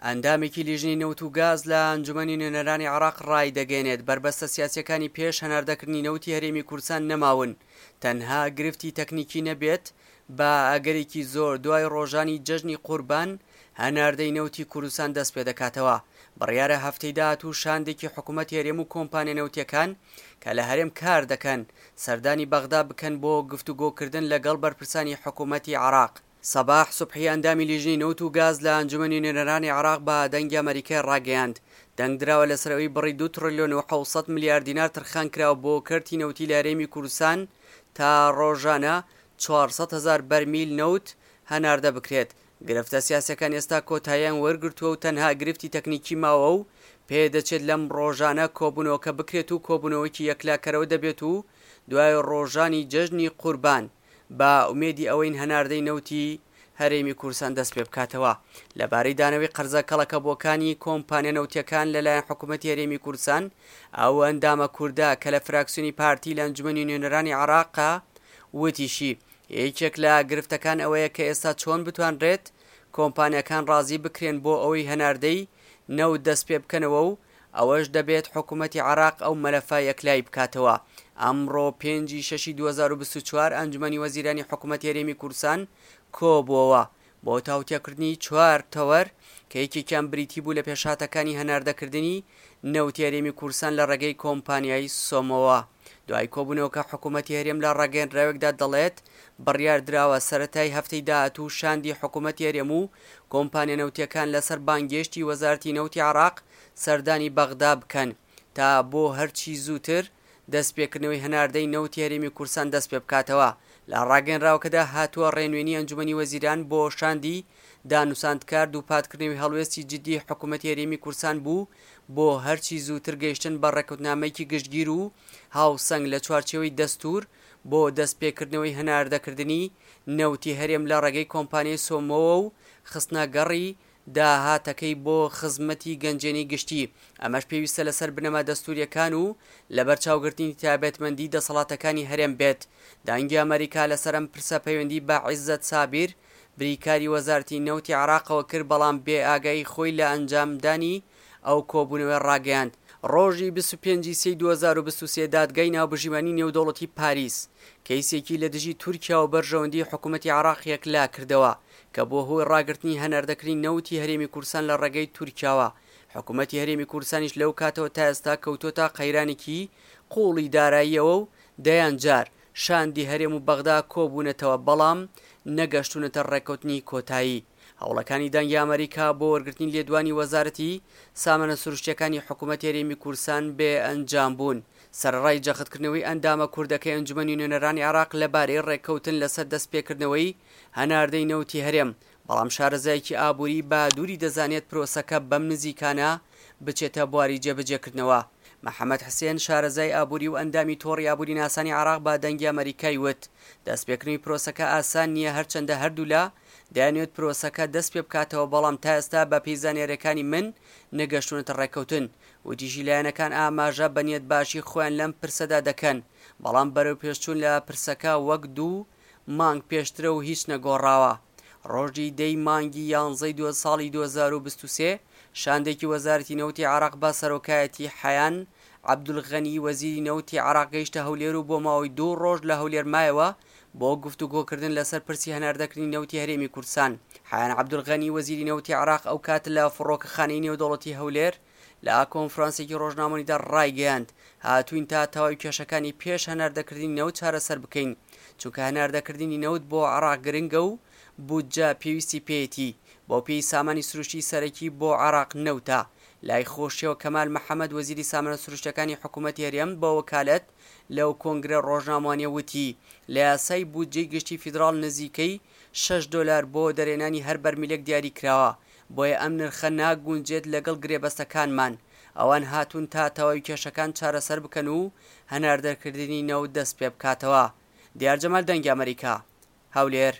ئەندامێکی لیژنەی نەوت و گاز لە ئەنجومەنی نوێنەرانی عێراق ڕایدەگەیەنێت، بەربەستە سیاسییەکانی پێش هەناردەکردنی نەوتی هەرێمی کوردستان نەماون، تەنها گرفتی تەکنیکی نەبێت، بە ئەگەرێکی زۆر دوای ڕۆژانی جەژنی قوربان هەناردەی نەوتی کوردستان دەستپێدەکاتەوە. بڕیارە هەفتەی داهاتوو شاندێکی حکومەتی هەرێم و کۆمپانیا نەوتییەکان کە لە هەرێم کاردەکەن، سەردانی بەغدا بکەن بۆ گفتوگۆکردن لەگەڵ بەرپرسانی حکومەتی عێراق. سەباح سوبحی ئەندامی لیژنەی نەوت و گاز لە ئەنجومەنی نوێنەرانی عێراق بە دەنگی ئەمەریکای ڕاگەیاند، دەنگدراوە لەسەر ئەوەی بڕی دوو تڕیلیۆن و 700 ملیار دینار تەرخانکراوە بۆ کەرتی نەوتی لە هەرێمی کوردستان تا ڕۆژانە 400 هەزار بەرمیل نەوت هەناردە بکرێت. گرفتە سیاسیەکان ئێستا کۆتاییان وەرگرتووە و تەنها گرفتی تەکنیکی ماوە و پێدەچێت لەم ڕۆژانە کۆبوونەوەکە بکرێت و کۆبوونەوەیەکی یەکلاکەرەوە دەبێت و دوای ڕۆژانی جەژنی قوربان بە ئومێدی ئەوەین هەناردەی نەوتی هەرێمی کوردستان دەستپێبکاتەوە. لەبارەی دانەوەی قەرزە کەڵەکەبووەکانی کۆمپانیا نەوتییەکان لەلایەن حکومەتی هەرێمی کوردستان، ئەو ئەندامە کوردە کە لە فراکسیۆنی پارتی لە ئەنجومەنی نوێنەرانی عێراقە وتیشی، یەکێک لە گرفتەکان ئەوەیە کە ئێستا چۆن بتوانرێت کۆمپانیاکان ڕازی بکرێن بۆ ئەوەی هەناردەی نەوت دەستپێبکەنەوە و ئەوەش دەبێت حکومەتی عێراق ئەو مەلەفە یەکلایی بکاتەوە. ئەمڕۆ پێنجی شەشی 2024 ئەنجومەنی وەزیرانی حکومەتی هەرێمی کوردستان کۆبووەوە بۆ تاوتوێکردنی چوار تەوەر کە یەکێکیان بریتی بوو لە پێشهاتەکانی هەناردەکردنی نەوتی هەرێمی کوردستان لە ڕێگەی کۆمپانیای سۆمۆوە. دوای کۆبوونەوەکە حکومەتی هەرێم لە ڕاگەیەندراوێکدا دەڵێت، بڕیاردراوە سەرەتای هەفتەی داهاتوو شاندی حکومەتی هەرێم و کۆمپانیا نەوتییەکان لەسەر بانگێشتی وەزارەتی نەوتی عێراق سەردانی بەغدا بکەن تا بۆ هەرچی زووتر دەستپێکردنەوەی هەناردەی نەوتی هەرێمی کوردستان دەستپێبکاتەوە. لە ڕاگەیەنراوەکەدا هاتووە، ڕێنوێنی ئەنجومەنی وەزیران بۆ شاندی دانوساندکار دووپاتکردنەوەی هەڵوێستی جددی حکومەتی هەرێمی کوردستان بوو بۆ هەرچی زووتر گەیشتن بە ڕێککەوتنامەیەکی گشتگیر و هاوسەنگ لە چوارچێوەی دەستوور بۆ دەستپێکردنەوەی هەناردەکردنی نەوتی هەرێم لە ڕێگەی کۆمپانیای سۆمۆوە و خستنەگەڕی داهاتەکەی بۆ خزمەتی گەنجینەی گشتی، ئەمەش پێویستە لەسەر بنەما دەستوورییەکان و لەبەرچاوگرتنی تایبەتمەندی دەسەڵاتەکانی هەرێم بێت. دەنگی ئەمەریکا لەسەر ئەم پرسە پەیوەندی بە عیزەت سابیر، بریکاری وەزارەتی نەوتی عێراقەوە کرد، بەڵام بێ ئاگایی خۆی لە ئەنجامدانی ئەو کۆبوونەوەی ڕاگەیاند. ڕۆژی 25 ی سێی 2023 دادگای ناوبژیوانی نێودەوڵەتی پاریس کەیسێکی لە دژی تورکیا و بەرژەوەندی حکومەتی عێراق یەکلاکردەوە کە بووە هۆی ڕاگرتنی هەناردەکردنی نەوتی هەرێمی کوردستان لە ڕێگەی تورکیاوە، حکومەتی هەرێمی کوردستانیش لەو کاتەوە تا ئێستا کەوتووەتە قەیرانێکی قووڵی داراییەوە و دەیان جار شاندی هەرێم و بەغدا کۆبوونەتەوە بەڵام نەگەشتوونەتە ڕێککەوتنی کۆتایی. هەوڵەکانی دەنگی ئەمەریکا بۆ وەرگرتنی لێدوانی وەزارەتی سامانە سروشتییەکانی حکومەتی هەرێمی کوردستان بێ ئەنجام بوون. سەرەڕای جەختکردنەوەی ئەندامە کوردەکەی ئەنجومەنی نوێنەرانی عێراق لەبارەی ڕێککەوتن لەسەر دەستپێکردنەوەی هەناردەی نەوتی هەرێم، بەڵام شارەزایەکی ئابووری بە دووری دەزانێت پرۆسەکە بەم نزیکانە بچێتە بواری جێبەجێکردنەوە. محەمەد حسێن، شارەزای ئابووری و ئەندامی تۆڕی ئابووریناسانی عێراق بە دەنگی ئەمەریکای وت، دەستپێکردنەوەی پرۆسەکە ئاسان نییە هەرچەندە هەردوولا دەیانەوێت پرۆسەکە دەستپێبکاتەوە بەڵام تا ئێستا بەپێی زانیارییەکانی من نەگەشتوونەتە ڕێککەوتن. وتیشی لایەنەکان ئاماژە بە نیەتباشی خۆیان لەم پرسەدا دەکەن، بەڵام بەرەوپێشچوون لە پرسەکە وەک دوو مانگ پێشترە و هیچ نەگۆڕاوە. ڕۆژی دە ی مانگی یانزەی دو ساڵی 2023 شاندێکی وەزارەتی نەوتی عێراق بە سەرۆکایەتی حەیان عەبدولغەنی وەزیری نەوتی عێراق گەیشتە هەولێر و بۆ ماوەی دوو ڕۆژ لە هەولێر مایەوە بۆ گفتوگۆکردن لەسەر پرسی هەناردەکردنی نەوتی هەرێمی کوردستان. حەیان عەبدولغەنی وەزیری نەوتی عێراق ئەوکات لە فڕۆکەخانەی نێودەوڵەتی هەولێر لە کۆنفرانسێکی ڕۆژنامەوانیدا ڕایگەیاند، هاتووین تا تەواوی کێشەکانی پێش هەناردەکردنی نەوت چارەسەر بکەین، چونکە هەناردەکردنی نەوت بۆ عێراق گرنگە و بودجە پێویستی پێیەتی، بەوپێی سامانی سروشتی سەرەکی بۆ عێراق نەوتە. لای خۆشیەوە کەمال محەمەد وەزیری سامانە سروشتیەکانی حکومەتی هەرێم بە وەکالەت لەو کۆنگرە ڕۆژنامەوانیە وتی، لە یاسای بودجەی گشتی فیدراڵ نزیکەی شەش دۆلار بۆ دەرهێنانی هەر بەرمیلێک دیاری کراوە، بۆیە ئەم نرخە ناگونجێت لەگەڵ گرێبەستەکانمان، ئەوان هاتوون تا تەواوی کێشەکان چارەسەر بکەن و هەناردەکردنی نەوت دەستپێبکاتەوە. دیار جەمال دەنگی ئەمەریکا، هەولێر.